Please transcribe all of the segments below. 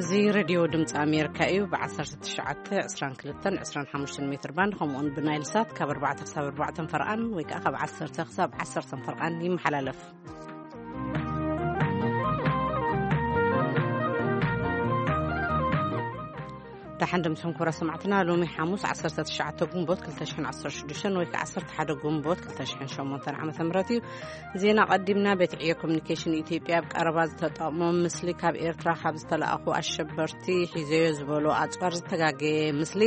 እዚ ሬድዮ ድምፂ ኣሜሪካ እዩ። ብ1922 25 ሜትር ባንድ ከምኡውን ብናይል ሳት ካብ ኣርባዕተ ክሳብ ኣርባዕተ ፈርቓን ወይ ከዓ ካብ ዓሰርተ ክሳብ ዓሰርተ ፈርቓን ይመሓላለፍ። ደሓን ደምስኩም ክቡራት ሰማዕትና፣ ሎሚ ሓሙስ ዓሰርተ ትሽዓተ ግንቦት ክልተ ሽሕን ዓሰርተ ሽዱሽተን ወይ ከዓ ዓሰርተ ሓደ ግንቦት ክልተ ሽሕን ሸሞንተን ዓመተ ምህረት እዩ። ዜና ቀዲምና። ቤት ዕዮ ኮሚኒኬሽን ኢትዮጵያ ኣብ ቀረባ ዝተጠቕሞ ምስሊ ካብ ኤርትራ ካብ ዝተለኣኹ ኣሸበርቲ ሒዘዮ ዝበሎ ኣፅዋር ዝተጋገየ ምስሊ፣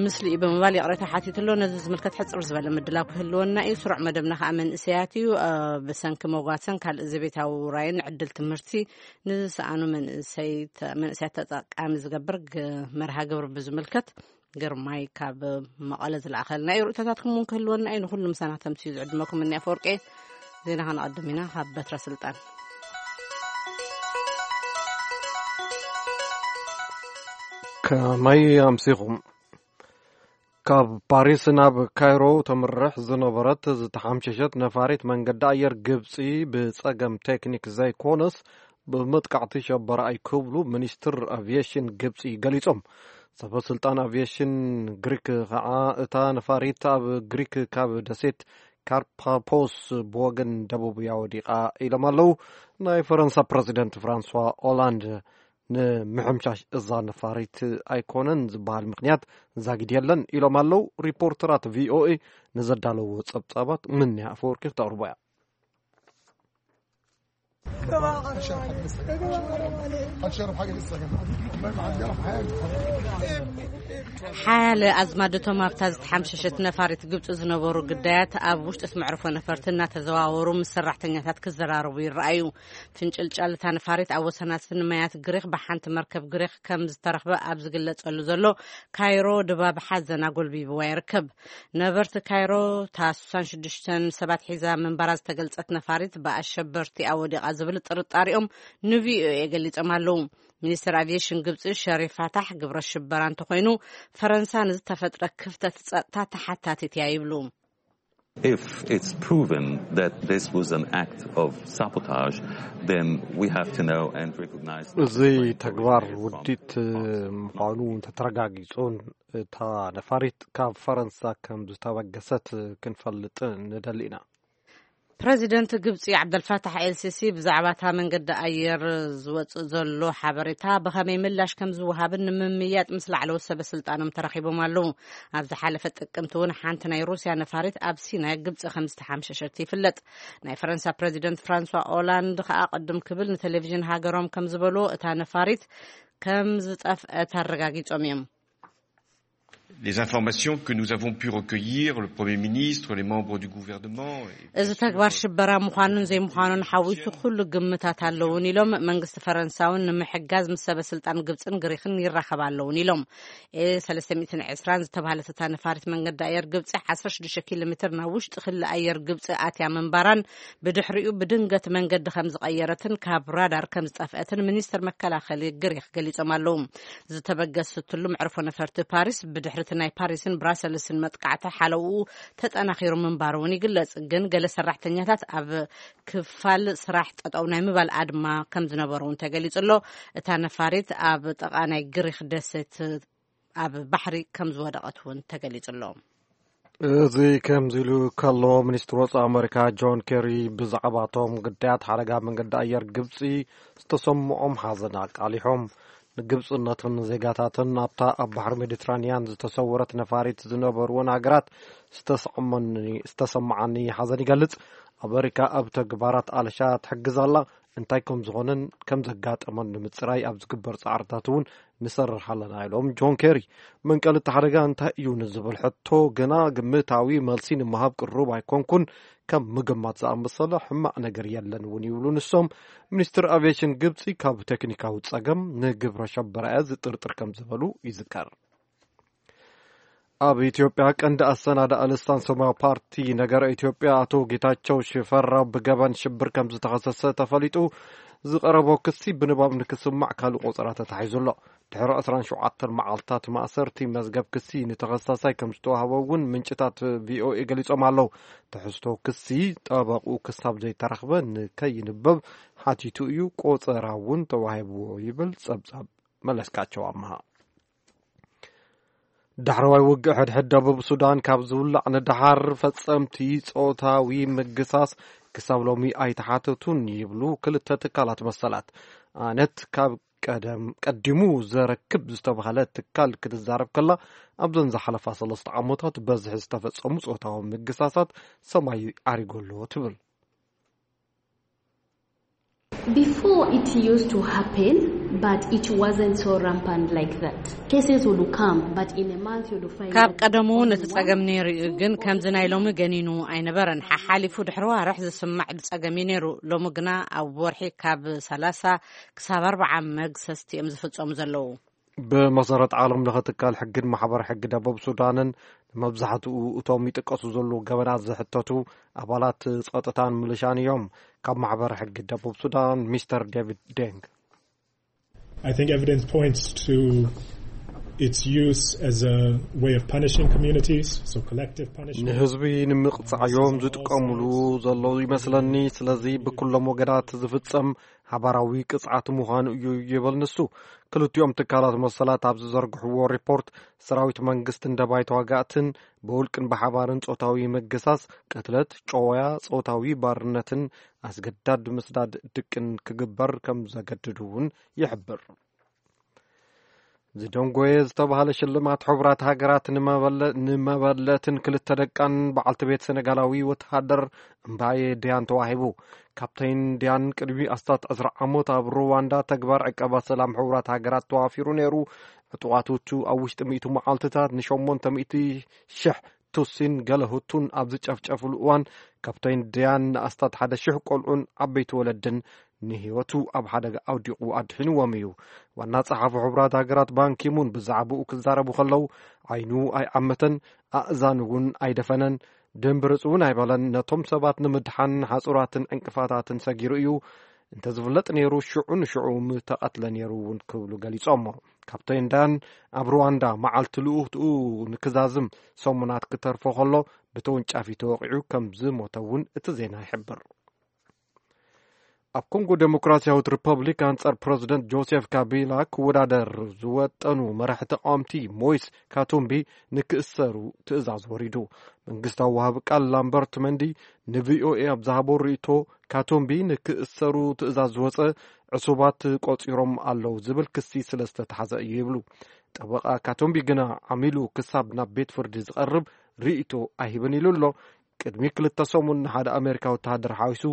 ምስሊ እዩ ብምባል ይቕሬታ ሓቲትሎ። ነዚ ዝምልከት ሕፅር ዝበለ ምድላው ክህልወና እዩ። ስሩዕ መደብና ከዓ መንእሰያት እዩ። ብሰንኪ መጓሰን ካልእ ዘቤታዊ ውራይን ዕድል ትምህርቲ ንዝሰኣኑ መንእሰይ ተ- መንእሰያት ተጠቃሚ ዝገብር ግ- መርሃ ግብሪ ብዝምልከት ግርማይ ካብ መቐለ ዝለኣኸልና እዩ። ርእቶታትኩም እውን ክህልወና እዩ። ንኩሉ ምሳና ተምስዩ ዝዕድመኩም እኒ ኣፈወርቂ። ዜና ከነቐድም ኢና። ካብ በትረ ስልጣን ከመይ ኣምሲኹም? ካብ ፓሪስ ናብ ካይሮ ተምርሕ ዝነበረት ዝተሓምሸሸት ነፋሪት መንገዲ ኣየር ግብፂ ብፀገም ቴክኒክ ዘይኮነስ ብመጥቃዕቲ ሸበራ ኣይክብሉ ሚኒስትር ኣቪዬሽን ግብፂ ገሊፆም። ሰበ ስልጣን ኣቪዬሽን ግሪክ ከዓ እታ ነፋሪት ኣብ ግሪክ ካብ ደሴት ካርፓፖስ ብወገን ደቡብ እያ ወዲቓ ኢሎም ኣለዉ። ናይ ፈረንሳ ፕረዚደንት ፍራንሷ ኦላንድ ንምሕምሻሽ እዛ ነፋሪት ኣይኮነን ዝበሃል ምክንያት ዛጊድ የለን ኢሎም ኣለዉ። ሪፖርተራት ቪኦኤ ንዘዳለዎ ጸብጻባት ምንያ ኣፈወርቂ ክተቕርቦ እያ። ሓያለ ኣዝማድቶም ኣብታ ዝተሓምሸሸት ነፋሪት ግብፂ ዝነበሩ ግዳያት ኣብ ውሽጢ እቲ መዕርፎ ነፈርቲ እናተዘዋወሩ ምስ ሰራሕተኛታት ክዘራረቡ ይረኣዩ። ፍንጭልጫል እታ ነፋሪት ኣብ ወሰናስን ማያት ግሪክ ብሓንቲ መርከብ ግሪክ ከም ዝተረኽበ ኣብ ዝግለጸሉ ዘሎ ካይሮ ድባብ ሓዘን ኣጎልቢብዋ ይርከብ። ነበርቲ ካይሮ እታ ስሳን ሽዱሽተን ሰባት ሒዛ ምንባራ ዝተገልጸት ነፋሪት ብኣሸበርቲ ኣወዲቓ ዝብል ጥርጣሬኦም ንቪኦኤ ገሊጾም ኣለዉ። ሚኒስትር ኣቪዬሽን ግብፂ ሸሪፍ ፋታሕ ግብረ ሽበራ እንተኾይኑ ፈረንሳ ንዝተፈጥረ ክፍተት ጸጥታ ተሓታቲት እያ ይብሉ። If it's proven that this was an act of sabotage, then we have to know and recognize that እዚ the plane ተግባር originally from ውዲት France. ምዃኑ እንተተረጋጊጹ እታ ነፋሪት ካብ ፈረንሳ ከም ዝተበገሰት ክንፈልጥ ንደሊ ኢና። ፕረዚደንት ግብፂ ዓብደልፋታሕ ኤልሲሲ ብዛዕባ እታ መንገዲ ኣየር ዝወፅእ ዘሎ ሓበሬታ ብኸመይ ምላሽ ከም ዝወሃብን ንምምያጥ ምስ ላዕለዎት ሰበ ስልጣኖም ተራኺቦም ኣለዉ። ኣብ ዝሓለፈ ጥቅምቲ እውን ሓንቲ ናይ ሩስያ ነፋሪት ኣብ ሲናይ ግብፂ ከም ዝተሓምሸሸት ይፍለጥ። ናይ ፈረንሳ ፕረዚደንት ፍራንሷ ኦላንድ ከዓ ቅድም ክብል ንቴሌቪዥን ሃገሮም ከም ዝበሎ እታ ነፋሪት ከም ዝጠፍአት ኣረጋጊጾም እዮም። Les informations que nous avons pu recueillir, le Premier ministre, les membres du gouvernement, et bien እዚ sûr, ተግባር ሽበራ ምዃኑን ዘይምዃኑን ሓዊሱ ኩሉ ግምታት ኣለውን ኢሎም። መንግስቲ ፈረንሳውን ንምሕጋዝ ምስ ሰበ ስልጣን ግብፅን ግሪክን ይራኸብ ኣለውን ኢሎም። ኤ ሰለስተ ሚእትን ዕስራን ዝተባህለት እታ ነፋሪት መንገዲ ኣየር ግብፂ ዓሰርተ ሽዱሽተ ኪሎ ሜትር ናብ ውሽጢ ክሊ ኣየር ግብፂ ኣትያ ምንባራን ብድሕሪኡ ብድንገት መንገዲ ከም ዝቐየረትን ካብ ራዳር ከም ዝጠፍአትን ሚኒስትር መከላኸሊ ግሪክ ገሊጾም ኣለዉ። ዝተበገሰትሉ መዕርፎ ነፈርቲ ፓሪስ ብድሕሪ እቲ ናይ ፓሪስን ብራሰልስን መጥቃዕቲ ሓለውኡ ተጠናኺሩ ምንባሩ እውን ይግለጽ። ግን ገለ ሰራሕተኛታት ኣብ ክፋል ስራሕ ጠጠው ናይ ምባል ኣድማ ከም ዝነበሩ እውን ተገሊጹ ኣሎ። እታ ነፋሪት ኣብ ጥቓ ናይ ግሪክ ደሴት ኣብ ባሕሪ ከም ዝወደቐት እውን ተገሊጹ ኣሎ። እዚ ከምዚ ኢሉ ከሎ፣ ሚኒስትር ወጻኢ ኣመሪካ ጆን ኬሪ ብዛዕባ እቶም ግዳያት ሓደጋ መንገዲ ኣየር ግብጺ ዝተሰምዖም ሓዘን ኣቃሊሖም። ንግብጽነትን ዜጋታትን ኣብታ ኣብ ባሕሪ ሜዲትራንያን ዝተሰወረት ነፋሪት ዝነበርወን ሃገራት ዝተሰምዓኒ ሓዘን ይገልጽ። ኣመሪካ ኣብ ተግባራት ኣልሻ ትሕግዝ ኣላ። እንታይ ከም ዝኾነን ከም ዘጋጠመን ንምጽራይ ኣብ ዝግበር ጻዕርታት እውን ንሰርሕ ኣለና ኢሎም ጆን ኬሪ። መንቀሊ እቲ ሓደጋ እንታይ እዩ ንዝብል ሕቶ ግና ግምታዊ መልሲ ንምሃብ ቅሩብ ኣይኮንኩን። ከም ምግማት ዝኣመሰለ ሕማቕ ነገር የለን እውን ይብሉ ንሶም። ሚኒስትር ኣቪዬሽን ግብጺ ካብ ቴክኒካዊ ጸገም ንግብረ ሸበራ እያ ዝጥርጥር ከም ዝበሉ ይዝከር። ኣብ ኢትዮጵያ ቀንዲ ኣሰናዳኢ ልሳን ሰማያዊ ፓርቲ ነገረ ኢትዮጵያ ኣቶ ጌታቸው ሽፈራው ብገበን ሽብር ከም ዝተኸሰሰ ተፈሊጡ። ዝቐረቦ ክሲ ብንባብ ንክስማዕ ካልእ ቆጸራ ተታሒዙ ኣሎ። ድሕሪ ዕስራን ሸውዓተን መዓልታት ማእሰርቲ መዝገብ ክሲ ንተኸሳሳይ ከም ዝተዋህቦ እውን ምንጭታት ቪኦኤ ገሊጾም ኣለዉ። ትሕዝቶ ክሲ ጠበቕኡ ክሳብ ዘይተረኽበ ንከይንበብ ሓቲቱ እዩ፣ ቆጸራ እውን ተዋሂብዎ ይብል ጸብጻብ መለስካቸው ኣምሃ። ዳሕረዋይ ውግእ ሕድሕድ ደቡብ ሱዳን ካብ ዝውላዕ ንደሓር ፈጸምቲ ጾታዊ ምግሳስ ክሳብ ሎሚ ኣይተሓተቱን ይብሉ ክልተ ትካላት መሰላት። ኣነት ካብ ቀደም ቀዲሙ ዘረክብ ዝተባህለ ትካል ክትዛረብ ከላ፣ ኣብዘን ዝሓለፋ ሰለስተ ዓመታት በዝሒ ዝተፈጸሙ ጾታዊ ምግሳሳት ሰማይ ዓሪጎ ኣሎ ትብል። Before it used to happen, but it wasn't so rampant like that. Cases would come, but in a month you'd find ካብ ቀደሙ ነቲ ጸገም ነይሩ እዩ፣ ግን ከምዚ ናይ ሎሚ ገኒኑ ኣይነበረን። ሓሓሊፉ ድሕሪ ዋርሕ ዝስማዕ ጸገም እዩ ነይሩ። ሎሚ ግና ኣብ ወርሒ ካብ ሰላሳ ክሳብ ኣርባዓ መግሰስቲ እዮም ዝፍጸሙ ዘለዉ። ብመሰረት ዓለም ለኸ ትካል ሕግን ማሕበር ሕጊ ደቡብ ሱዳንን፣ ንመብዛሕትኡ እቶም ይጥቀሱ ዘለዉ ገበናት ዝሕተቱ ኣባላት ጸጥታን ምልሻን እዮም። ካብ ማሕበር ሕጊ ደቡብ ሱዳን ሚስተር ዴቪድ ዴንግ። I think evidence points to its use as a way of punishing communities, so collective punishment. ንህዝቢ ንምቕጻዕ እዮም ዝጥቀሙሉ ዘለዉ ይመስለኒ። ስለዚ ብኩሎም ወገናት ዝፍጸም ሓባራዊ ቅጽዓት ምዃኑ እዩ ይብል ንሱ። ክልቲኦም ትካላት መሰላት ኣብ ዝዘርግሕዎ ሪፖርት፣ ሰራዊት መንግስትን ደባይ ተዋጋእትን ብውልቅን ብሓባርን ጾታዊ ምግሳስ፣ ቅትለት፣ ጨወያ፣ ጾታዊ ባርነትን ኣስገዳድ ምስዳድ ድቅን ክግበር ከም ዘገድዱ እውን ይሕብር። ዝደንጎየ ዝተባህለ ሽልማት ሕቡራት ሃገራት ንመበለ- ንመበለትን ክልተ ደቃን በዓልቲ ቤት ሰነጋላዊ ወተሃደር እምባየ ዲያን ተዋሂቡ። ካፕቴን ዲያን ቅድሚ ኣስታት ዕስራ ዓመት ኣብ ሩዋንዳ ተግባር ዕቀባ ሰላም ሕቡራት ሃገራት ተዋፊሩ ነይሩ። ዕጡቓት ሁቱ ኣብ ውሽጢ ሚእቲ መዓልትታት ንሸሞንተ ሚእቲ ሽሕ ቱሲን ገለ ሁቱን ኣብ ዝጨፍጨፍሉ እዋን፣ ካፕቴን ዲያን ንኣስታት ሓደ ሽሕ ቆልዑን ዓበይቲ ወለድን ንህይወቱ ኣብ ሓደጋ ኣውዲቑ ኣድሒንዎም እዩ። ዋና ጸሓፊ ሕቡራት ሃገራት ባንኪሙን ብዛዕባኡ ክዛረቡ ከለዉ፣ ዓይኑ ኣይዓመተን፣ ኣእዛኑ እውን ኣይደፈነን፣ ድምብርጽ እውን ኣይበለን። ነቶም ሰባት ንምድሓን ሓጹራትን ዕንቅፋታትን ሰጊሩ እዩ። እንተዝፍለጥ ነይሩ፣ ሽዑ ንሽዑ ምተቐትለ ነይሩ እውን ክብሉ ገሊጾሞ። ካፕቴን ዳን ኣብ ሩዋንዳ መዓልቲ ልኡኽትኡ ንክዛዝም ሰሙናት ክተርፎ ከሎ ብተወንጫፊ ተወቒዑ ከም ዝሞተ እውን እቲ ዜና ይሕብር። ኣብ ኮንጎ ዴሞክራሲያዊት ሪፐብሊክ ኣንጻር ፕረዚደንት ጆሴፍ ካቢላ ክወዳደር ዝወጠኑ መራሒ ተቃወምቲ ሞይስ ካቱምቢ ንክእሰሩ ትእዛዝ ወሪዱ። መንግስታዊ ወሃቢ ቃል ላምበርት መንዲ ንቪኦኤ ኣብ ዝሃቦ ርእይቶ፣ ካቱምቢ ንክእሰሩ ትእዛዝ ዝወጸ ዕሱባት ቆጺሮም ኣለዉ ዝብል ክሲ ስለ ዝተታሕዘ እዩ ይብሉ። ጠበቓ ካቱምቢ ግና ዓሚሉ ክሳብ ናብ ቤት ፍርዲ ዝቐርብ ርእይቶ ኣይህብን ኢሉ ኣሎ። ቅድሚ ክልተ ሰሙን ንሓደ ኣሜሪካ ወተሃደር ሓዊሱ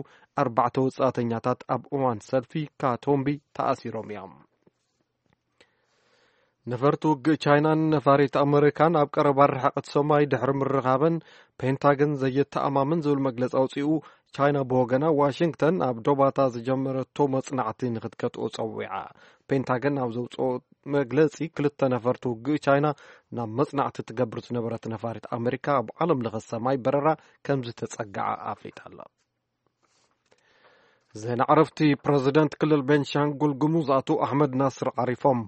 ኣርባዕተ ወጻእተኛታት ኣብ እዋን ሰልፊ ካቶምቢ ተኣሲሮም እዮም። ነፈርቲ ውግእ ቻይናን ነፋሪት ኣመሪካን ኣብ ቀረባ ርሕቀት ሰማይ ድሕሪ ምርኻበን፣ ፔንታገን ዘየተኣማምን ዝብል መግለጺ ኣውጺኡ። ቻይና ብወገና፣ ዋሽንግተን ኣብ ዶባታ ዝጀመረቶ መጽናዕቲ ንክትከትኦ ጸዊዓ። ፔንታገን ኣብ ዘውጽኦ መግለጺ፣ ክልተ ነፈርቲ ውግእ ቻይና ናብ መጽናዕቲ ትገብር ዝነበረት ነፋሪት ኣመሪካ ኣብ ዓለም ለኸ ሰማይ በረራ ከም ዝተጸግዓ ኣፍሊጣ ኣላ። ዜና ዕረፍቲ። ፕረዚደንት ክልል ቤንሻንጉል ጉሙዝ ኣቶ ኣሕመድ ናስር ዓሪፎም።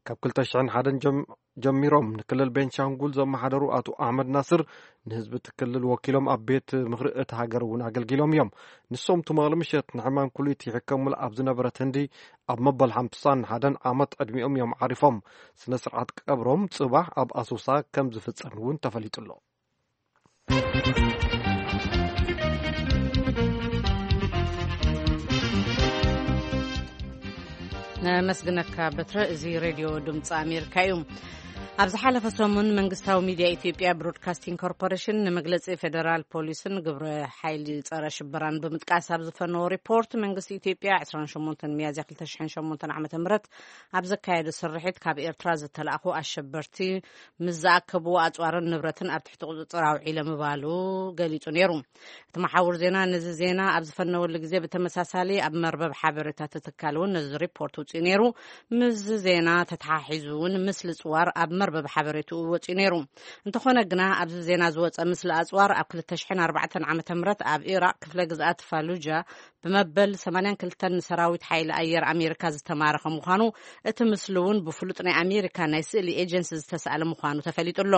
ካብ ክልተ ሽሕን ሓደን ጀም- ጀሚሮም ንክልል ቤንሻንጉል ዘመሓደሩ ኣቶ ኣሕመድ ናስር፣ ንህዝቢ እቲ ክልል ወኪሎም ኣብ ቤት ምኽሪ እቲ ሃገር እውን ኣገልጊሎም እዮም። ንሶም ትማሊ ምሸት ንሕማም ኩሊት ይሕከሙሉ ኣብ ዝነበረት ህንዲ፣ ኣብ መበል ሓምሳን ሓደን ዓመት ዕድሚኦም እዮም ዓሪፎም። ስነ ስርዓት ቀብሮም ጽባሕ ኣብ ኣሶሳ ከም ዝፍጸም እውን ተፈሊጡ ኣሎ። ነመስግነካ በትረ። እዚ ሬድዮ ድምፂ ኣሜሪካ እዩ። ኣብ ዝሓለፈ ሰሙን መንግስታዊ ሚድያ ኢትዮጵያ ብሮድካስቲንግ ኮርፖሬሽን ንመግለፂ ፌደራል ፖሊስን ግብረ ሓይሊ ፀረ ሽበራን ብምጥቃስ ኣብ ዝፈነዎ ሪፖርት፣ መንግስቲ ኢትዮጵያ ዕስራን ሸሞንተን ሚያዝያ ክልተ ሽሕን ሸሞንተን ዓመተ ምህረት ኣብ ዘካየዶ ስርሒት ካብ ኤርትራ ዝተላእኹ ኣሸበርቲ ምስ ዝኣከብዎ ኣፅዋርን ንብረትን ኣብ ትሕቲ ቁፅፅር ኣውዒለ ምባሉ ገሊፁ ነይሩ። እቲ መሓውር ዜና ነዚ ዜና ኣብ ዝፈነወሉ ግዜ ብተመሳሳሊ ኣብ መርበብ ሓበሬታ እቲ ትካል እውን ነዚ ሪፖርት ውፅኡ ነይሩ። ምስዚ ዜና ተተሓሒዙ እውን ምስሊ ፅዋር ኣብ መርበብ ሓበሬትኡ ወጺኡ ነይሩ። እንተኾነ ግና፣ ኣብዚ ዜና ዝወጸ ምስሊ ኣጽዋር ኣብ ክልተ ሽሕን ኣርባዕተን ዓመተ ምህረት ኣብ ኢራቕ ክፍለ ግዝኣት ፋሉጃ ብመበል ሰማንያን ክልተን ንሰራዊት ሓይሊ ኣየር ኣሜሪካ ዝተማረኸ ምዃኑ፣ እቲ ምስሊ እውን ብፍሉጥ ናይ ኣሜሪካ ናይ ስእሊ ኤጀንሲ ዝተሳእለ ምዃኑ ተፈሊጡ ኣሎ።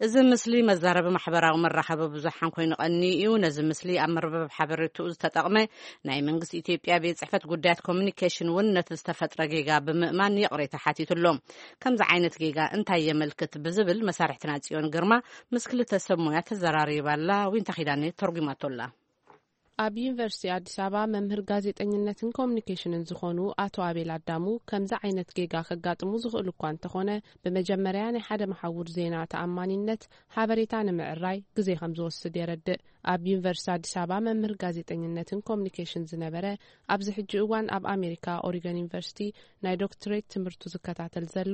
እዚ ምስሊ መዛረቢ ማሕበራዊ መራኸቢ ብዙሓን ኮይኑ ቀንዩ እዩ። ነዚ ምስሊ ኣብ መርበብ ሓበሬትኡ ዝተጠቕመ ናይ መንግስቲ ኢትዮጵያ ቤት ጽሕፈት ጉዳያት ኮሚኒኬሽን እውን ነቲ ዝተፈጥረ ጌጋ ብምእማን ይቕሬታ ሓቲቱ ኣሎ። ከምዚ ዓይነት ጌጋ እንታይ የመልክት ብዝብል መሳርሕትና ጽዮን ግርማ ምስ ክልተ ሰብ ሞያ ተዘራሪባ ኣላ። ዊንታ ኪዳነ ተርጉማቶ ኣላ። ኣብ ዩኒቨርሲቲ ኣዲስ ኣበባ መምህር ጋዜጠኝነትን ኮሚኒኬሽንን ዝኾኑ ኣቶ ኣቤል ኣዳሙ፣ ከምዚ ዓይነት ጌጋ ከጋጥሙ ዝኽእሉ እኳ እንተኾነ፣ ብመጀመርያ ናይ ሓደ መሓውር ዜና ተኣማኒነት ሓበሬታ ንምዕራይ ግዜ ከም ዝወስድ የረድእ። ኣብ ዩኒቨርሲቲ ኣዲስ ኣበባ መምህር ጋዜጠኝነትን ኮሚኒኬሽን ዝነበረ፣ ኣብዚ ሕጂ እዋን ኣብ ኣሜሪካ ኦሪገን ዩኒቨርሲቲ ናይ ዶክትሬት ትምህርቱ ዝከታተል ዘሎ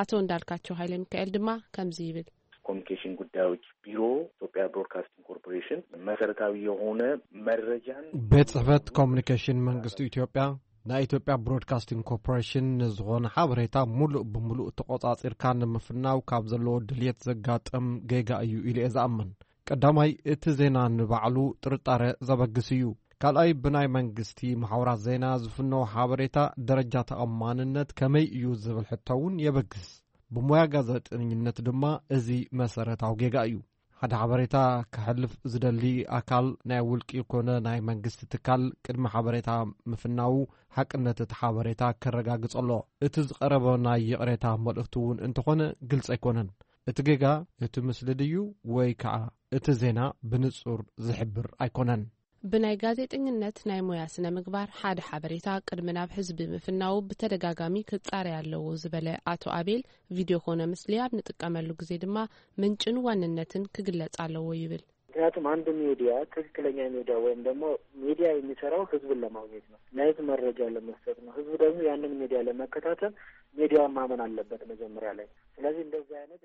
ኣቶ እንዳልካቸው ኃይለ ሚካኤል ድማ ከምዚ ይብል። ኮሚኒኬሽን ጉዳዮች ቢሮ ኢትዮጵያ ብሮድካስቲንግ ኮርፖሬሽን መሰረታዊ የሆነ መረጃን ቤት ጽሕፈት ኮሚኒኬሽን መንግስቲ ኢትዮጵያ ናይ ኢትዮጵያ ብሮድካስቲንግ ኮርፖሬሽን ንዝኾነ ሓበሬታ ሙሉእ ብሙሉእ ተቆጻጺርካ ንምፍናው ካብ ዘለዎ ድልየት ዘጋጠም ጌጋ እዩ ኢሉ እየ ዝኣምን። ቀዳማይ፣ እቲ ዜና ንባዕሉ ጥርጣረ ዘበግስ እዩ። ካልኣይ፣ ብናይ መንግስቲ መሓውራት ዜና ዝፍነው ሓበሬታ ደረጃ ተኣማንነት ከመይ እዩ ዝብል ሕቶ እውን የበግስ። ብሞያ ጋዜጠኝነት ድማ እዚ መሰረታዊ ጌጋ እዩ። ሓደ ሓበሬታ ከሕልፍ ዝደሊ ኣካል፣ ናይ ውልቂ ኮነ ናይ መንግስቲ ትካል፣ ቅድሚ ሓበሬታ ምፍናዉ ሓቅነት እቲ ሓበሬታ ከረጋግጽ ኣሎ። እቲ ዝቐረበ ናይ ይቕሬታ መልእኽቲ እውን እንተኾነ ግልጺ ኣይኮነን። እቲ ጌጋ እቲ ምስሊ ድዩ ወይ ከኣ እቲ ዜና ብንጹር ዝሕብር ኣይኮነን። ብናይ ጋዜጠኝነት ናይ ሞያ ስነ ምግባር፣ ሓደ ሓበሬታ ቅድሚ ናብ ህዝቢ ምፍናዉ ብተደጋጋሚ ክጻረይ ኣለዎ ዝበለ ኣቶ ኣቤል፣ ቪድዮ ኮነ ምስሊ ኣብ ንጥቀመሉ ግዜ ድማ ምንጭን ዋንነትን ክግለጽ ኣለዎ ይብል። ምክንያቱም አንድ ሚዲያ ትክክለኛ ሚዲያ ወይም ደግሞ ሚዲያ የሚሰራው ህዝብን ለማግኘት ነው፣ ለህዝብ መረጃ ለመስጠት ነው። ህዝቡ ደግሞ ያንን ሚዲያ ለመከታተል ሚዲያውን ማመን አለበት መጀመሪያ ላይ። ስለዚህ እንደዚህ አይነት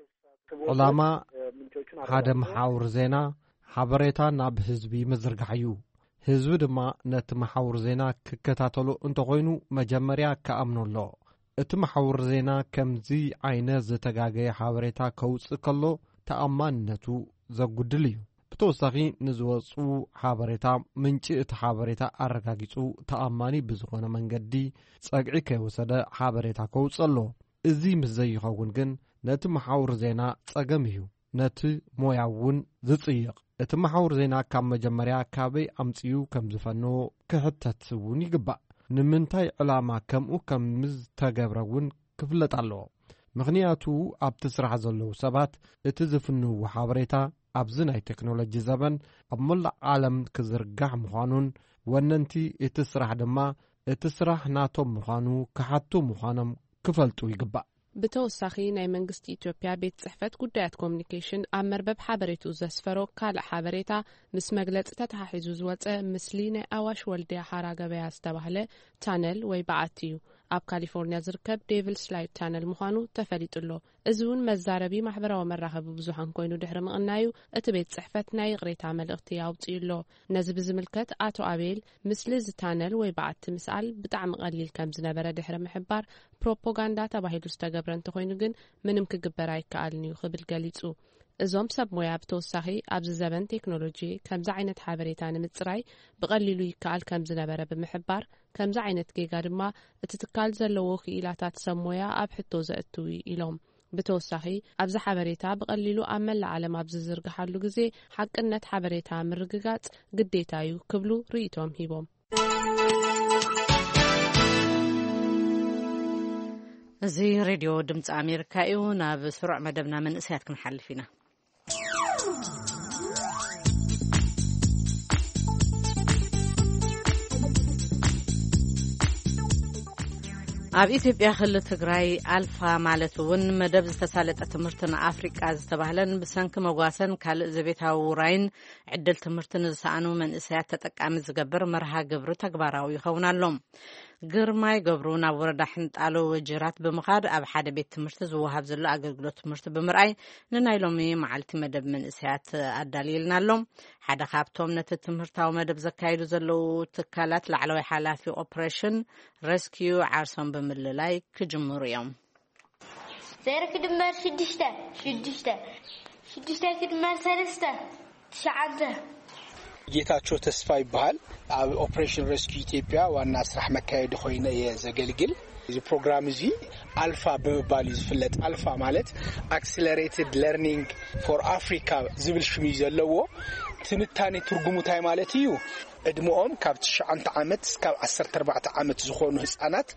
ዕላማ ምንጮቹን ሓደ አረጋግጦ መሓውር ዜና ሓበሬታ ናብ ህዝቢ ምዝርጋሕ እዩ። ህዝቢ ድማ ነቲ መሓውር ዜና ክከታተሎ እንተኾይኑ፣ መጀመርያ ክኣምኖ ኣሎ። እቲ መሓውር ዜና ከምዚ ዓይነት ዝተጋገየ ሓበሬታ ከውጽእ ከሎ፣ ተኣማንነቱ ዘጉድል እዩ። ብተወሳኺ፣ ንዝወጹ ሓበሬታ ምንጪ እቲ ሓበሬታ ኣረጋጊጹ፣ ተኣማኒ ብዝኾነ መንገዲ ጸግዒ ከይወሰደ ሓበሬታ ከውጽእ ኣሎ። እዚ ምስ ዘይኸውን ግን፣ ነቲ መሓውር ዜና ጸገም እዩ። ነቲ ሞያ እውን ዝጽይቕ። እቲ መሓውር ዜና ካብ መጀመርያ ካበይ ኣምጺኡ ከም ዝፈነዎ ክሕተት እውን ይግባእ። ንምንታይ ዕላማ ከምኡ ከም ዝተገብረ እውን ክፍለጥ ኣለዎ። ምኽንያቱ፣ ኣብቲ ስራሕ ዘለዉ ሰባት እቲ ዝፍንውዎ ሓበሬታ ኣብዚ ናይ ቴክኖሎጂ ዘበን ኣብ መላእ ዓለም ክዝርጋሕ ምዃኑን፣ ወነንቲ እቲ ስራሕ ድማ እቲ ስራሕ ናቶም ምዃኑ ክሓቱ ምዃኖም ክፈልጡ ይግባእ። ብተወሳኺ፣ ናይ መንግስቲ ኢትዮጵያ ቤት ጽሕፈት ጉዳያት ኮሚኒኬሽን ኣብ መርበብ ሓበሬትኡ ዘስፈሮ ካልእ ሓበሬታ፣ ምስ መግለጺ ተተሓሒዙ ዝወጸ ምስሊ ናይ ኣዋሽ ወልድያ ሓራ ገበያ ዝተባህለ ታነል ወይ በዓቲ እዩ። ኣብ ካሊፎርኒያ ዝርከብ ዴቪል ስላይድ ታነል ምዃኑ ተፈሊጡ ኣሎ። እዚ እውን መዛረቢ ማሕበራዊ መራኸቢ ብዙሃን ኮይኑ ድሕሪ ምቕናዩ፣ እቲ ቤት ጽሕፈት ናይ ይቕሬታ መልእኽቲ ኣውጺኡ ኣሎ። ነዚ ብዝምልከት ኣቶ ኣቤል፣ "ምስሊ እዚ ታነል ወይ በዓቲ ምስኣል ብጣዕሚ ቀሊል ከም ዝነበረ ድሕሪ ምሕባር፣ ፕሮፓጋንዳ ተባሂሉ ዝተገብረ እንተኾይኑ ግን ምንም ክግበር ኣይከኣልን እዩ" ክብል ገሊጹ። እዞም ሰብ ሞያ ብተወሳኺ፣ ኣብዚ ዘበን ቴክኖሎጂ ከምዚ ዓይነት ሓበሬታ ንምጽራይ ብቐሊሉ ይከኣል ከም ዝነበረ ብምሕባር፣ ከምዚ ዓይነት ጌጋ ድማ እቲ ትካል ዘለዎ ክኢላታት ሰብ ሞያ ኣብ ሕቶ ዘእትው እዩ ኢሎም። ብተወሳኺ፣ ኣብዚ ሓበሬታ ብቐሊሉ ኣብ መላእ ዓለም ኣብ ዝዝርግሓሉ ግዜ፣ ሓቅነት ሓበሬታ ምርግጋጽ ግዴታ እዩ ክብሉ ርእይቶም ሂቦም። እዚ ሬድዮ ድምፂ ኣሜሪካ እዩ። ናብ ስሩዕ መደብና መንእሰያት ክንሓልፍ ኢና። ኣብ ኢትዮጵያ ክልል ትግራይ ኣልፋ ማለት እውን መደብ ዝተሳለጠ ትምህርቲ ንኣፍሪቃ ዝተባህለን ብሰንኪ መጓሰን ካልእ ዘቤታዊ ውራይን ዕድል ትምህርቲ ንዝሰኣኑ መንእሰያት ተጠቃሚ ዝገብር መርሃ ግብሪ ተግባራዊ ይኸውን ኣሎ። ግርማይ ገብሩ ናብ ወረዳ ሕንጣሎ ወጅራት ብምኻድ ኣብ ሓደ ቤት ትምህርቲ ዝወሃብ ዘሎ ኣገልግሎት ትምህርቲ ብምርኣይ ንናይ ሎሚ መዓልቲ መደብ መንእሰያት ኣዳልየልና ኣሎ። ሓደ ካብቶም ነቲ ትምህርታዊ መደብ ዘካይዱ ዘለዉ ትካላት ላዕለዋይ ሓላፊ ኦፕሬሽን ሬስኪዩ ዓርሶም ብምልላይ ክጅምሩ እዮም። ዜሮ ክድመር ሽዱሽተ፣ ሽዱሽተ፣ ሽዱሽተ ክድመር ሰለስተ፣ ትሽዓተ። ጌታቸው ተስፋ ይበሃል። ኣብ ኦፕሬሽን ሬስኪው ኢትዮጵያ ዋና ስራሕ መካየዲ ኮይነ እየ ዘገልግል። እዚ ፕሮግራም እዚ ኣልፋ ብምባል እዩ ዝፍለጥ። ኣልፋ ማለት ኣክስለሬትድ ለርኒንግ ፎር ኣፍሪካ ዝብል ሽም እዩ ዘለዎ። ትንታኔ ትርጉሙ እንታይ ማለት እዩ? ዕድመኦም ካብ ትሽዓተ ዓመት እስካብ ዓሰርተ ኣርባዕተ ዓመት ዝኾኑ ህፃናት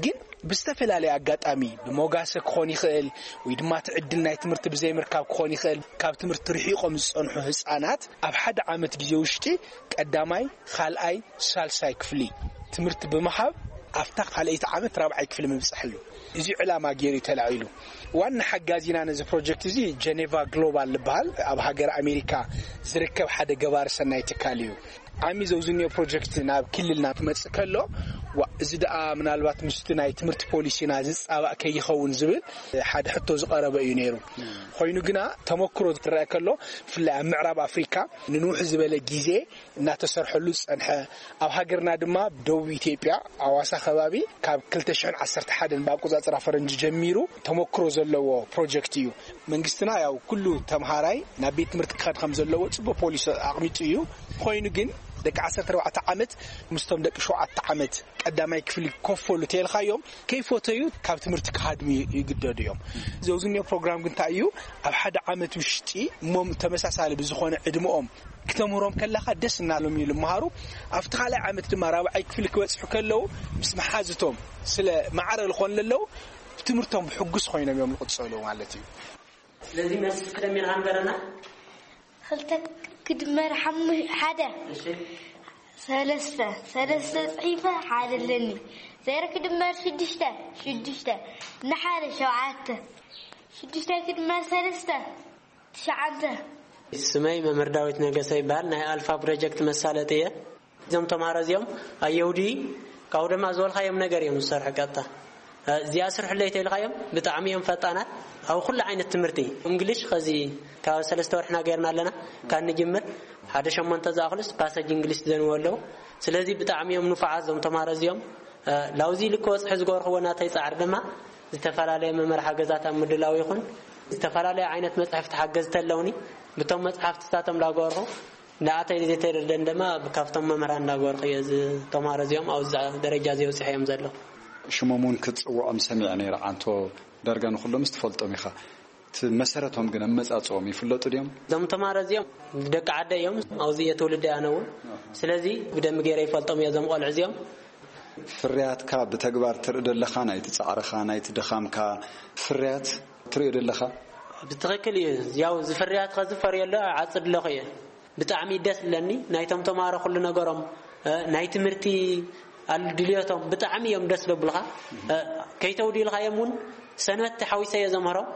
ግን ብዝተፈላለየ ኣጋጣሚ ብሞጋሰ ክኾን ይኽእል ወይ ድማ እቲ ዕድል ናይ ትምህርቲ ብዘይምርካብ ክኾን ይኽእል፣ ካብ ትምህርቲ ርሒቖም ዝፀንሑ ህፃናት ኣብ ሓደ ዓመት ግዜ ውሽጢ ቀዳማይ፣ ካልኣይ፣ ሳልሳይ ክፍሊ ትምህርቲ ብምሃብ ኣብታ ካልኣይቲ ዓመት ራብዓይ ክፍሊ ምብፃሕ እዩ። እዚ ዕላማ ገይሩ እዩ ተላዒሉ። ዋና ሓጋዚና ነዚ ፕሮጀክት እዚ ጀኔቫ ግሎባል ዝበሃል ኣብ ሃገር ኣሜሪካ ዝርከብ ሓደ ገባሪ ሰናይ ትካል እዩ። ዓሚ ዘውዝንዮ ፕሮጀክት ናብ ክልልና ክመጽእ ከሎ፣ ዋ፣ እዚ ደኣ ምናልባት ምስቲ ናይ ትምህርቲ ፖሊሲና ዝጻባእ ከይኸውን ዝብል ሓደ ሕቶ ዝቐረበ እዩ ነይሩ። ኮይኑ ግና ተመክሮ ዝረአ ከሎ፣ ብፍላይ ኣብ ምዕራብ ኣፍሪካ ንንውሕ ዝበለ ግዜ እናተሰርሐሉ ዝጸንሐ፣ ኣብ ሃገርና ድማ ደቡብ ኢትዮጵያ ኣዋሳ ከባቢ ካብ ክልተ ሽሕን ዓሰርተ ሓደን ብኣቆጻጽራ ፈረንጂ ጀሚሩ ተመክሮ ዘለዎ ፕሮጀክት እዩ። መንግስትና ያው ኩሉ ተምሃራይ ናብ ቤት ትምህርቲ ክኸድ ከም ዘለዎ ጽቡቅ ፖሊሲ ኣቕሚጡ እዩ። ኮይኑ ግን ደቂ ዓሰርተ ኣርባዕተ ዓመት ምስቶም ደቂ ሸውዓተ ዓመት ቀዳማይ ክፍሊ ኮፈሉ ተልካዮም ከይፈተዩ ካብ ትምህርቲ ክሃድሙ ይግደዱ እዮም። እዚ ኣብዚ እኒኦ ፕሮግራም ግን እንታይ እዩ? ኣብ ሓደ ዓመት ውሽጢ እሞም ተመሳሳሊ ብዝኾነ ዕድመኦም ክተምህሮም ከለኻ ደስ እናሎም እዩ ልምሃሩ። ኣብቲ ካልኣይ ዓመት ድማ ራብዓይ ክፍሊ ክበጽሑ ከለዉ ምስ መሓዝቶም ስለ ማዕረ ዝኾን ለለዉ ብትምህርቶም ብሕጉስ ኮይኖም እዮም ዝቕጸሉ ማለት እዩ። ስለዚ መልሲ ክደም ኢልካ ንገረና። ክልተ ክድመር ሓሙ-፣ ሓደ። እሺ። ሰለስተ። ሰለስተ ጽሒፈ ሓደ ኣለኒ። ዜሮ ክድመር ሽዱሽተ። ሽዱሽተ። ንሓደ ሸውዓተ። ሽዱሽተ ክድመር ሰለስተ። ትሽዓተ። ስመይ መምህር ዳዊት ነገሰ ይበሃል። ናይ ኣልፋ ፕሮጀክት መሳለጥ እየ። እዞም ተምሃሮ እዚኦም ኣየውዲ ካብኡ ድማ ዝበልካዮም ነገር እዮም ዝሰርሑ። ቀጥታ እዚኣ ስርሕለይ ተልካዮም ብጣዕሚ እዮም ፈጣናት ኣብ ኩሉ ዓይነት ትምህርቲ። እንግሊሽ ከዚ ካብ ሰለስተ ወርሕና ገይርና ኣለና። ካብ ንጅምር ሓደ ሸሞንተ ዝኣኽሉስ ፓሰጅ እንግሊሽ ዘንዎ ኣለዉ። ስለዚ ብጣዕሚ እዮም ንፉዓት እዞም ተምሃሮ እዚኦም። ላውዚ ልክ ወፅሒ ዝገበርክዎ ናተይ ፃዕሪ ድማ ዝተፈላለየ መመርሓ ገዛት ኣብ ምድላው ይኹን ዝተፈላለየ ዓይነት መፅሕፍቲ ሓገዝቲ ኣለውኒ። ብቶም መፅሓፍትታቶም ላገበርኩ ንኣተይ ዘይተደርደን ድማ ካብቶም መምህራን እንዳገበርኩ እየ። እዚ ተምሃሮ እዚኦም ኣብዚ ደረጃ እዚ በፂሖም እዮም ዘለዉ። ሽሞም እውን ክትፅውዖም ሰሚዐ ነይረ። ዓንቶ ዳርጋ ንኩሎም ትፈልጦም ኢኻ። እቲ መሰረቶም ግን ኣመፃፅኦም ይፍለጡ ድዮም? እዞም ተምሃሮ እዚኦም ደቂ ዓደ እዮም። ኣብዚ እየ ትውልደ ኣነ እውን። ስለዚ ብደንቢ ገይረ ይፈልጦም እየ እዞም ቆልዑ እዚኦም። ፍርያትካ ብተግባር ትርኢ ደለኻ፣ ናይቲ ፃዕርኻ፣ ናይቲ ድኻምካ ፍርያት ትርእዮ ደለኻ? ብትኽክል እዩ። ያው ዝፍርያት ከዝፈርዮ ኣሎ ዓፅድ ኣለኹ እየ። ብጣዕሚ ደስ ዝብለኒ ናይቶም ተምሃሮ ኩሉ ነገሮም፣ እ፣ ናይ ትምህርቲ ኣሉ ድልዮቶም ብጣዕሚ እዮም ደስ ዘብሉኻ። እ፣ ከይተውዲልካዮም እውን ሰንበት ተሓዊሰ እየ ዘምህሮም።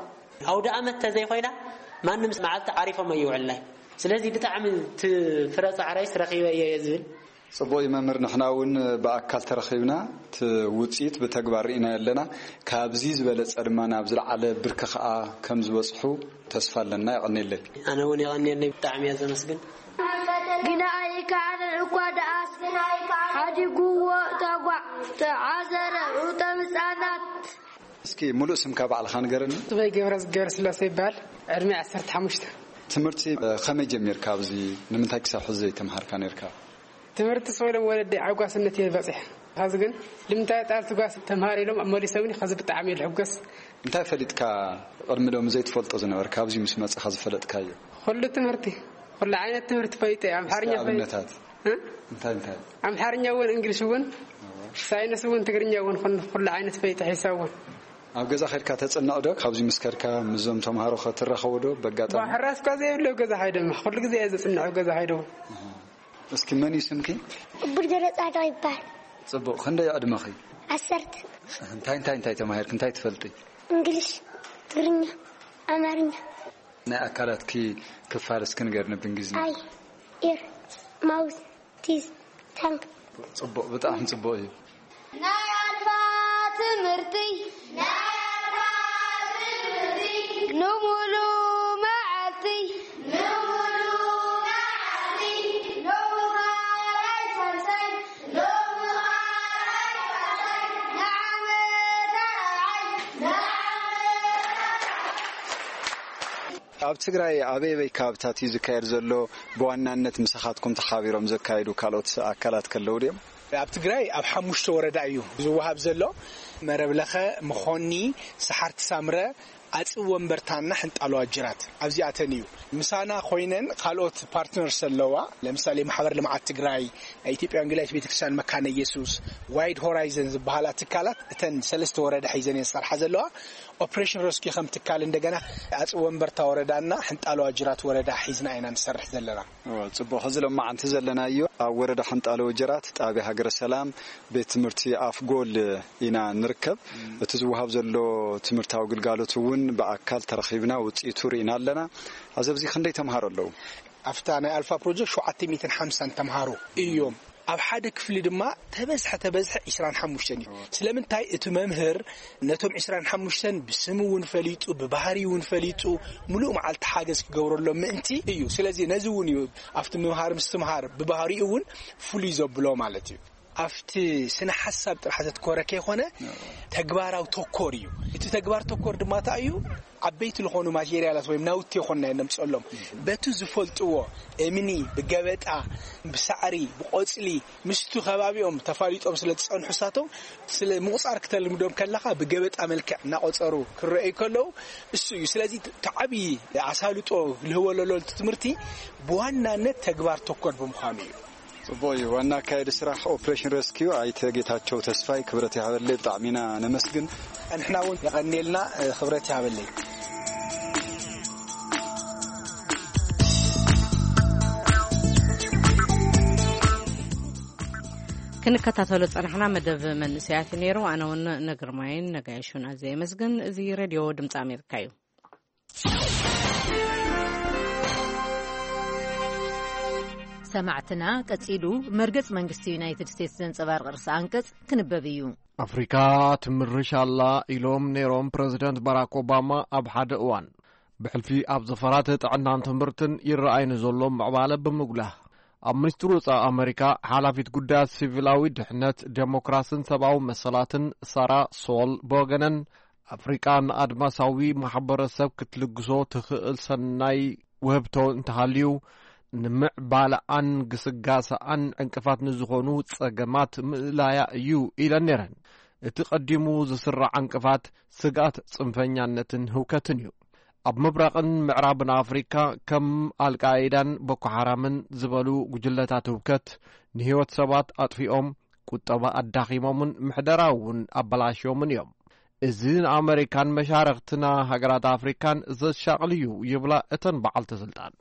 ኣውደ ኣመት ተዘይኮይና ማንም መዓልቲ ዓሪፎም ኣይውዕልናይ። ስለዚ ብጣዕሚ እቲ ፍረ ፃዕራይስ ረኺበ እየ እየ ዝብል። ጽቡቕ እዩ መምህር፣ ንሕና እውን ብኣካል ተረኺብና እቲ ውጽኢት ብተግባር ርኢናዮ ኣለና። ካብዚ ዝበለጸ ድማ ናብ ዝለዓለ ብርኪ ከኣ ከም ዝበጽሑ ተስፋ ኣለና። የቐንየለይ። ኣነ እውን የቐንየለይ፣ ብጣዕሚ እየ ዘመስግን። ግና ኣይከኣለን እኳ ደኣስ ሓዲግዎ ተጓዕ ተዓዘረ ውጠም ህጻናት። እስኪ ሙሉእ ስምካ ባዕልኻ ንገረኒ። ስመይ ገብረ ገብረ ስላሴ ይበሃል። ዕድመይ ዓሰርተ ሓሙሽተ። ትምህርቲ፣ እ፣ ከመይ ጀሚርካ? ኣብዚ ንምንታይ ክሳብ ሕዚ ዘይተምሃርካ ነርካ? ትምህርቲ ስወሎም ወለዲ ዓጓስነት እየ በፂሐ። ኻዚ ግን ልምንታይ ጣል ትጓስ ተምሃር ኢሎም መሊሶምኒ። ኻዚ ብጣዕሚ እየ ልሕጎስ። እንታይ ፈሊጥካ ቅድሚ ሎም ዘይትፈልጦ ዝነበርካ ኣብዚ ምስ መጻኻ ዝፈለጥካዮ? ኩሉ ትምህርቲ፣ ኩሉ ዓይነት ትምህርቲ ፈሊጠ እየ። ኣምሓርኛ እስኪ ፈሊጠ። ኣብነታት? እ? እንታይ እንታይ? ኣምሓርኛ እውን እንግሊሽ እውን ሳይንስ እውን ትግርኛ እውን ኩሉ፣ ኩሉ ዓይነት ፈሊጠ፣ ሒሳብ እውን። ኣብ ገዛ ከድካ ተጽንዕ ዶ? ካብዚ ምስ ከድካ ምስዞም ተምሃሮ ኸትራኸቡ ዶ በጋጣሚ? ባሕራስ እኳ ዘይብሉ ኣብ ገዛ ኸይደ እማ ኩሉ ግዜ እየ ዘጽንዕ ኣብ ገዛ ኸይደ እውን። እስኪ መን እዩ ስምኪ? ክቡር ገረጻ ዶ ይባል? ጽቡቕ። ክንደይ ዕድመኺ? ዓሰርተ። እንታይ እንታይ እንታይ ተማሂርኪ? እንታይ ትፈልጢ? እንግሊሽ፣ ትግርኛ፣ ኣማርኛ። ናይ ኣካላትኪ ክፋል እስኪ ንገርኒ ብእንግሊዝኛ። ኣይ፣ ኢር፣ ማውዝ፣ ቲዝ፣ ታንግ። ጽቡቕ፣ ብጣዕሚ ጽቡቕ እዩ። ናይ ኣልፋ ትምህርቲ፣ ናይ ኣልፋ ትምህርቲ፣ ንሙሉ መዓልቲ፣ ንሙሉ መዓልቲ፣ ንሙኻረይ ሰምሰም፣ ንሙኻረይ ሰምሰም፣ ንዓመተ ራብዓይ፣ ንዓመተ ኣብ ትግራይ ኣበይ ኣበይ ከባብታት እዩ ዝካየድ ዘሎ? ብዋናነት ምሳኻትኩም ተሓቢሮም ዘካየዱ ካልኦት ኣካላት ከለዉ ድዮም? ኣብ ትግራይ ኣብ ሓሙሽተ ወረዳ እዩ ዝወሃብ ዘሎ። መረብ ለኸ፣ መኾኒ፣ ሰሓርቲ ሳምረ፣ ኣፅቢ ወንበርታና ሕንጣሎ ኣጅራት ኣብዚኣተን እዩ። ምሳና ኮይነን ካልኦት ፓርትነርስ ኣለዋ። ለምሳሌ ማሕበር ልምዓት ትግራይ፣ ናይ ኢትዮጵያ ወንጌላዊት ቤተክርስትያን መካነ ኢየሱስ፣ ዋይድ ሆራይዘን ዝበሃላ ትካላት እተን ሰለስተ ወረዳ ሒዘን እየን ዝሰርሓ ዘለዋ። ኦፕሬሽን ረስኪ ከም ትካል እንደገና ኣፅቢ ወንበርታ ወረዳና ሕንጣሎ ኣጅራት ወረዳ ሒዝና ኢና ንሰርሕ ዘለና። እወ፣ ጽቡቕ። ሕዚ ሎማዓንቲ ዘለናዮ ኣብ ወረዳ ሕንጣሎ ጅራት፣ ጣብያ ሃገረ ሰላም፣ ቤት ትምህርቲ ኣፍጎል ኢና ንርከብ። እቲ ዝወሃብ ዘሎ ትምህርታዊ ግልጋሎት እውን ብኣካል ተረኺብና ውጽኢቱ ርኢና ኣለና። ኣብዚ ኣብዚ ክንደይ ተምሃሮ ኣለዉ? ኣብታ ናይ ኣልፋ ፕሮጀክት ሸውዓተ ሚእትን ሓምሳን ተምሃሮ እዮም። ኣብ ሓደ ክፍሊ ድማ ተበዝሐ ተበዝሐ ዒስራን ሓሙሽተን እዩ። ስለምንታይ? እቲ መምህር ነቶም ዒስራን ሓሙሽተን ብስም እውን ፈሊጡ፣ ብባህሪ እውን ፈሊጡ፣ ሙሉእ መዓልቲ ሓገዝ ክገብረሎም ምእንቲ እዩ። ስለዚ ነዚ እውን እዩ ኣብቲ ምምሃር ምስትምሃር ብባህሪኡ እውን ፍሉይ ዘብሎ ማለት እዩ። ኣብቲ ስነ ሓሳብ ጥራሕ ዘትኮረ ከይኮነ ተግባራዊ ተኮር እዩ። እቲ ተግባር ተኮር ድማ እንታይ እዩ? ዓበይቲ ዝኾኑ ማቴሪያላት ወይም ናውቲ ይኾንና ነምፀሎም በቱ ዝፈልጥዎ እምኒ ብገበጣ፣ ብሳዕሪ፣ ብቆፅሊ፣ ምስቱ ከባቢኦም ተፋሊጦም ስለ ዝፀንሑ እሳቶም ስለ ምቑፃር ክተልምዶም ከለኻ ብገበጣ መልክዕ እናቆፀሩ ክረኣዩ ከለዉ እሱ እዩ። ስለዚ እቲ ዓብዪ ኣሳልጦ ልህቦ ለሎ እቲ ትምህርቲ ብዋናነት ተግባር ተኮር ብምዃኑ እዩ። ጽቡቕ እዩ። ዋና ኣካያዲ ስራሕ ኦፕሬሽን ረስኪዩ ኣይተ ጌታቸው ተስፋይ ክብረት ይሃበለይ፣ ብጣዕሚ ኢና ነመስግን። ንሕና እውን የቐንየልና፣ ክብረት ይሃበለይ። ክንከታተሎ ጸናሕና መደብ መንእሰያት እዩ ነይሩ። ኣነ እውን ንግርማይን ነጋይሹን ኣዝየ የመስግን። እዚ ሬድዮ ድምፂ ኣሜሪካ እዩ። ሰማዕትና፣ ቀጺሉ መርገጽ መንግስቲ ዩናይትድ ስቴትስ ዘንጸባርቕ ርእሰ ኣንቀጽ ክንበብ እዩ። ኣፍሪካ ትምርሽ ኣላ ኢሎም ነይሮም ፕረዚደንት ባራክ ኦባማ ኣብ ሓደ እዋን። ብሕልፊ ኣብ ዘፈራት ጥዕናን ትምህርትን ይረኣይ ንዘሎ ምዕባለ ብምጉላህ፣ ኣብ ሚኒስትሪ ወጻኢ ኣመሪካ ሓላፊት ጉዳያት ሲቪላዊ ድሕነት፣ ዴሞክራስን ሰብኣዊ መሰላትን ሳራ ሶል ብወገነን፣ ኣፍሪቃ ንኣድማሳዊ ማሕበረሰብ ክትልግሶ ትኽእል ሰናይ ውህብቶ እንተሃልዩ፣ ንምዕባለኣን ግስጋሰኣን ዕንቅፋት ንዝኾኑ ጸገማት ምእላያ እዩ ኢለን ነይረን። እቲ ቀዲሙ ዝስራዕ ዕንቅፋት ስግኣት ጽንፈኛነትን ህውከትን እዩ። ኣብ ምብራቕን ምዕራብን ኣፍሪካ ከም ኣልቃይዳን ቦኮ ሓራምን ዝበሉ ጉጅለታት ህውከት ንህይወት ሰባት ኣጥፊኦም፣ ቁጠባ ኣዳኺሞምን ምሕደራ እውን ኣበላሽዮምን እዮም። እዚ ንኣመሪካን መሻርኽትና ሃገራት ኣፍሪካን ዘሻቕል እዩ ይብላ እተን በዓልቲ ስልጣን።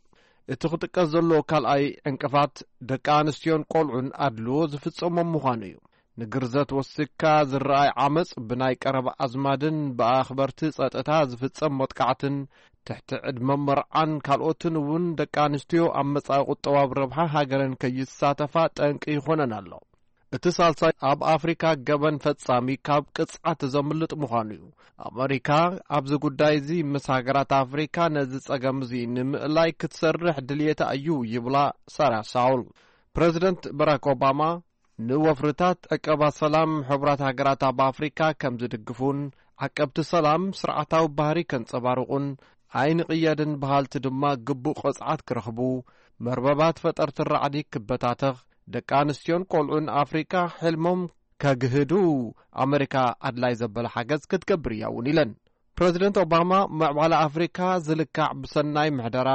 እቲ ክጥቀስ ዘለዎ ካልኣይ ዕንቅፋት ደቂ ኣንስትዮን ቆልዑን ኣድልዎ ዝፍጸሞም ምዃኑ እዩ። ንግርዘት ወሲኽካ ዝረኣይ ዓመጽ ብናይ ቀረባ ኣዝማድን ብኣኽበርቲ ጸጥታ ዝፍጸም መጥቃዕትን ትሕቲ ዕድመ መርዓን ካልኦትን እውን ደቂ ኣንስትዮ ኣብ መጻኢ ቁጠባዊ ረብሓ ሃገረን ከይሳተፋ ጠንቂ ይኾነን ኣሎ። እቲ ሳልሳይ ኣብ ኣፍሪካ ገበን ፈጻሚ ካብ ቅጽዓት ዘምልጥ ምዃኑ እዩ። ኣመሪካ ኣብዚ ጉዳይ እዚ ምስ ሃገራት ኣፍሪካ ነዚ ጸገም እዚ ንምእላይ ክትሰርሕ ድልየታ እዩ ይብላ ሳራ ሳውል። ፕረዚደንት ባራክ ኦባማ ንወፍርታት ዕቀባ ሰላም ሕቡራት ሃገራት ኣብ ኣፍሪካ ከም ዝድግፉን ዓቀብቲ ሰላም ስርዓታዊ ባህሪ ከንጸባርቑን ኣይንቕየድን በሃልቲ ድማ ግቡእ ቅጽዓት ክረኽቡ፣ መርበባት ፈጠርቲ ራዕዲ ክበታተኽ፣ ደቂ ኣንስትዮን ቆልዑን ኣፍሪካ ሕልሞም ከግህዱ ኣመሪካ ኣድላይ ዘበለ ሓገዝ ክትገብር እያ እውን ኢለን። ፕረዚደንት ኦባማ ምዕባለ ኣፍሪካ ዝልካዕ ብሰናይ ምሕደራ፣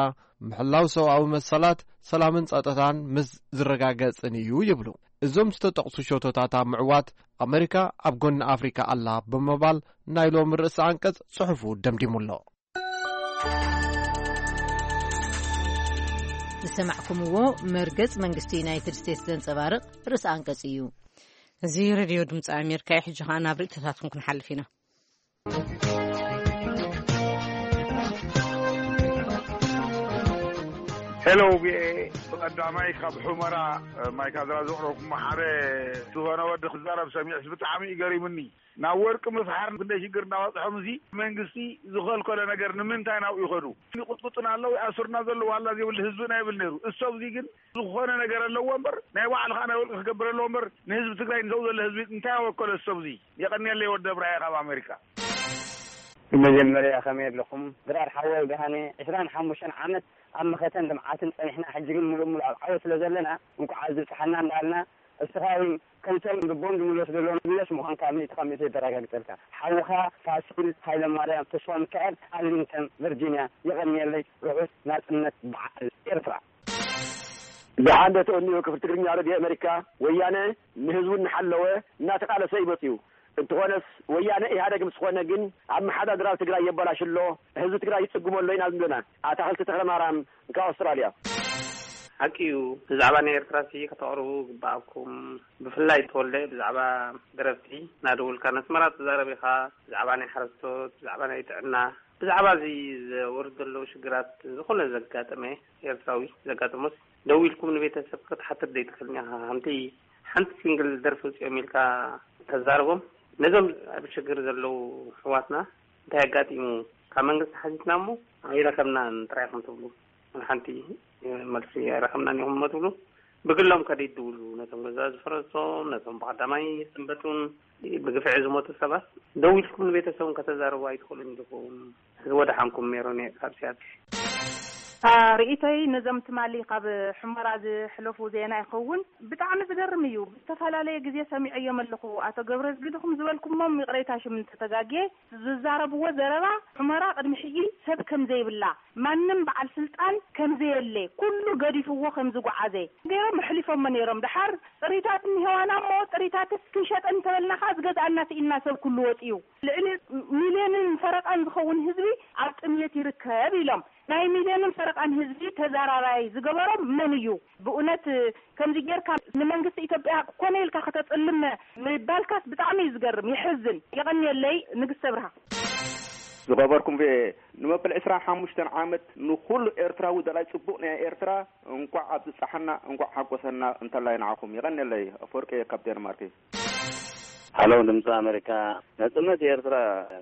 ምሕላው ሰብኣዊ መሰላት፣ ሰላምን ጸጥታን ምስ ዝረጋገጽን እዩ ይብሉ። እዞም ዝተጠቕሱ ሸቶታት ኣብ ምዕዋት ኣመሪካ ኣብ ጎኒ ኣፍሪካ ኣላ ብምባል ናይ ሎሚ ርእሰ ኣንቀጽ ጽሑፉ ደምዲሙ ኣሎ። ዝሰማዕኩምዎ መርገጽ መንግስቲ ዩናይትድ ስቴትስ ዘንጸባርቕ ርእሰ ኣንቀጽ እዩ። እዚ ሬድዮ ድምፂ ኣሜሪካ እዩ። ሕጂ ኸኣ ናብ ርእይቶታትኩም ክንሓልፍ ኢና። ሄሎ፣ ቪኦኤ፣ ብቐዳማይ ካብ ሑመራ ማይካድራ ዘቕረብኩሞ ሓደ ዝኾነ ወዲ ክዛረብ ሰሚዕስ ብጣዕሚ እዩ ገሪሙኒ። ናብ ወርቂ ምፍሓር ክንደይ ሽግር እንዳባፅሖም፣ እዚ መንግስቲ ዝኸልከሎ ነገር ንምንታይ ናብኡ ይኸዱ? ይቕጥቅጡና ኣለዉ፣ ይኣስሩና ዘለዉ፣ ዋላ ዘይብሉ ህዝብና ይብል ነይሩ። እሶም እዚ ግን ዝኾነ ነገር ኣለዎ እምበር፣ ናይ ባዕልኻ ናይ ውልቂ ክገብር ኣለዎ እምበር፣ ንህዝቢ ትግራይ ንሰው ዘሎ ህዝቢ እንታይ ኣወከሎ እሶም እዚ? የቐንየለይ ወዲ እብራሂም ካብ ኣሜሪካ። ብመጀመርያ ከመይ ኣለኹም? ድራር ሓወይ ብርሃነ፣ ዕስራን ሓሙሽተን ዓመት ኣብ መኸተን ልምዓትን ጸኒሕና፣ ሕጂ ግን ሙሉእ ሙሉእ ኣብ ዓወት ስለ ዘለና፣ እንቋዕ ኣብዚ ብጽሓና እንዳልና፣ እስኻ እውን ከምቶም ብቦንድ ንወስደሎም ንለስ ምዃንካ ሚእቲ ካብ ሚእቲ የረጋግጸልካ። ሓውኻ ፋሲል ሃይለማርያም ተስፋ ሚካኤል፣ ኣርሊንግተን ቨርጂንያ። የቐንየለይ። ርሑስ ናጽነት በዓል ኤርትራ። ደሓን ዶ ትቕንዩ? ክፍል ትግርኛ ሬድዮ ኣሜሪካ። ወያነ ንህዝቡ እናሓለወ እናተቓለሰ እዩ መጺኡ። እንተኾነስ ወያነ ኢህኣደግ ምስ ኾነ ግን ኣመሓዳድራ ትግራይ የበላሽ ኣሎ፣ ህዝቢ ትግራይ ይጽግሞ ኣሎ ኢና ዘለና። ኣታኽልቲ ተኽለማርያም ካብ ኣውስትራልያ። ሓቂ እዩ። ብዛዕባ ናይ ኤርትራ ሲ ከተቕርቡ ግባኣኩም። ብፍላይ ተወልደ ብዛዕባ ደረፍቲ እናደወልካ ነስመራ ትዛረብ ኢኻ። ብዛዕባ ናይ ሓረስቶት፣ ብዛዕባ ናይ ጥዕና፣ ብዛዕባ እዚ ዘወርድ ዘለዉ ሽግራት ዝኾነ ዘጋጠመ ኤርትራዊ ዘጋጠሞስ ደዊልኩም ንቤተሰብ ክትሓትት ዘይትኽእልን ኢኻ። ሓንቲ ሓንቲ ሲንግል ደርፊ ውፅኦም ኢልካ ተዛርቦም። ነዞም ኣብ ሽግር ዘለዉ ኣሕዋትና እንታይ ኣጋጢሙ፣ ካብ መንግስቲ ሓቲትና እሞ ኣይረኸብናን ጥራይ ኢኹም ትብሉ። ሓንቲ መልሲ ኣይረኸብናን ኢኹም እሞ ትብሉ። ብግሎም ከደይ ትብሉ፣ ነቶም ገዛ ዝፈረሶም፣ ነቶም ብቐዳማይ ሰንበቱን ብግፍዒ ዝሞቱ ሰባት ደዊልኩም ንቤተሰብን ከተዛርቡ ኣይትኽእሉን ዲኹም? ህዝቢ ወደሓንኩም። ሜሮን እየ ካብ ሲያትል። ርእይቶይ ነዞም ትማሊ ካብ ሑመራ ዝሕለፉ ዜና ይኸውን። ብጣዕሚ ዝገርም እዩ። ብዝተፈላለየ ግዜ ሰሚዐዮም ኣለኹ። ኣቶ ገብረዝጊ ድኹም ዝበልኩሞም፣ ይቕሬታ ሽም እንተተጋግየ፣ ዝዛረብዎ ዘረባ፣ ሑመራ ቅድሚ ሕጂ ሰብ ከም ዘይብላ፣ ማንም በዓል ስልጣን ከም ዘየለ፣ ኩሉ ገዲፍዎ ከም ዝጓዓዘ ገይሮም ኣሕሊፎሞ ነይሮም። ደሓር ጥሪታት እኒሄዋና እሞ፣ ጥሪታትስ ክንሸጠን እንተበልና ኸዓ ዝገዝኣና ስኢንና ሰብ ኩሉ ወፂኡ። ልዕሊ ሚልዮንን ፈረቓን ዝኸውን ህዝቢ ኣብ ጥምየት ይርከብ ኢሎም። ናይ ሚልዮንን ፈረቓን ህዝቢ ተዛራባይ ዝገበሮም መን እዩ? ብእውነት ከምዚ ጌርካ ንመንግስቲ ኢትዮጵያ ኮነ ኢልካ ከተጽልም ምባልካስ ብጣዕሚ እዩ ዝገርም፣ የሕዝን። የቐንየለይ ንግስተ ብርሃ። ዝኸበርኩም ቪኦኤ፣ ንመበል ዕስራን ሓሙሽተን ዓመት ንኹሉ ኤርትራዊ ደላይ ጽቡቕ ናይ ኤርትራ እንቋዕ ኣብዝጸሓና፣ እንቋዕ ሓጎሰና እንተላይ ንዓኹም። የቐንየለይ፣ ኣፈወርቂ ካብ ዴንማርክ። ሃሎ ድምፂ ኣሜሪካ፣ ናጽነት ኤርትራ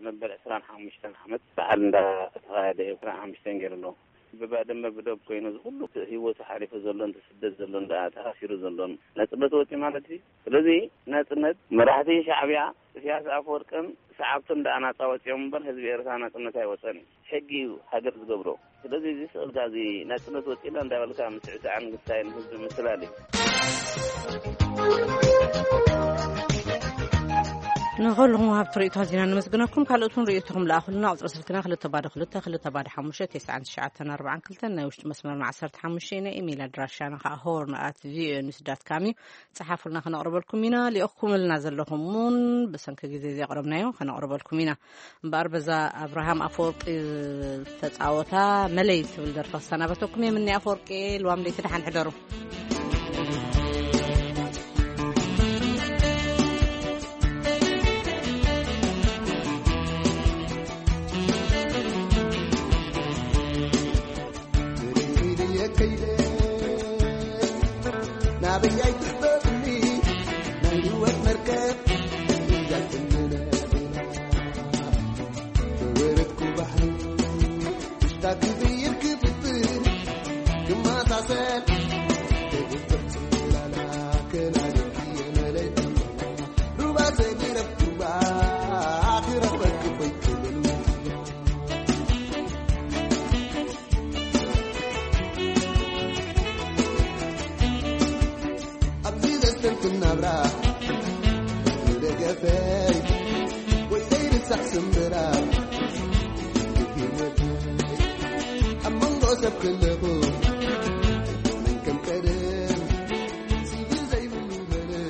መበል ዕስራን ሓሙሽተን ዓመት በዓል እንዳተኻየደ እዩ። ዕስራን ሓሙሽተን ገይሩ ኣሎ። ብባድመ ብዶብ ኮይኑ እዚ ኩሉ ህይወቱ ሓሊፉ ዘሎን ስደት ዘሎን ደኣ ተኣሲሩ ዘሎን ናጽነት ወፂ ማለት እዩ። ስለዚ ናጽነት መራሕቲ ሻዕብያ፣ ኢሳያስ ኣፈወርቅን ሰዓብቱን ደኣ ናጻ ወፂኦም እምበር ህዝቢ ኤርትራ ናጽነት ኣይወፀን እዩ። ሕጊ እዩ ሃገር ዝገብሮ። ስለዚ እዚ ስቕልካ እዚ ናጽነት ወፂና እንዳበልካ ምስዕሳዕን ግሳይን ህዝቢ ምስላል እዩ። ንኸልኹም ሃብቲ ርእይቶ ኣዚና ነመስግነኩም። ካልኦት እውን ርእይቶኹም ለኣኹልና። ቁጽሪ ስልክና ክልተ ባዶ ክልተ፣ ክልተ ባዶ ሓሙሽተ፣ ተስዓን ትሽዓተን ኣርባዓን ክልተን፣ ናይ ውሽጢ መስመርና ዓሰርተ ሓሙሽተ እዩ። ናይ ኢሜይል ኣድራሻና ኸዓ ሆርን ኣት ቪኦኤ ኒውስ ዳት ካም እዩ። ጸሓፉልና፣ ከነቕርበልኩም ኢና። ልኢኹምልና ዘለኹም እውን ብሰንኪ ግዜ ዘየቕረብናዮ ከነቕርበልኩም ኢና። እምበኣር በዛ ኣብርሃም ኣፈወርቂ ዝተጻወታ መለይ ትብል ደርፊ ክሰናበተኩም እየ። ምኒ ኣፈወርቂ፣ ልዋም ለይቲ ደሓን ሕደሩ። ናበይ ኣይትሕበጥኒ ናይ ህይወት መርከብ እያ ትምለስ። ወረድኩ ባሕሪ ውሽጣ ክቕይር ክፍትን ክመሳሰል ክግብር ጽላላ ከናድርኪ የመለይ ሩባ ዘግረፍ ሩባ ክረኽበኪ ኮይክልን ኣብዚ ዘስተንትን ናብራ ደገፈይ ወይ ዘይርሳዕ ስምብራ ህይወተይ ኣብ መንጎ ሰብ ከለኹ መን ከም ቀደም ስብል ዘይብሉ መለይ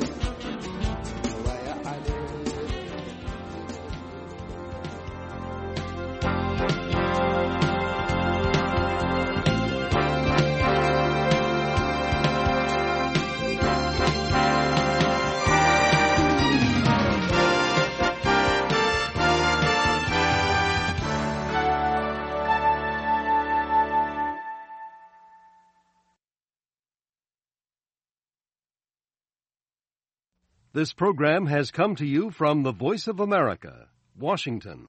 ዋያ ዓለም። This program has come to you from the Voice of America, Washington.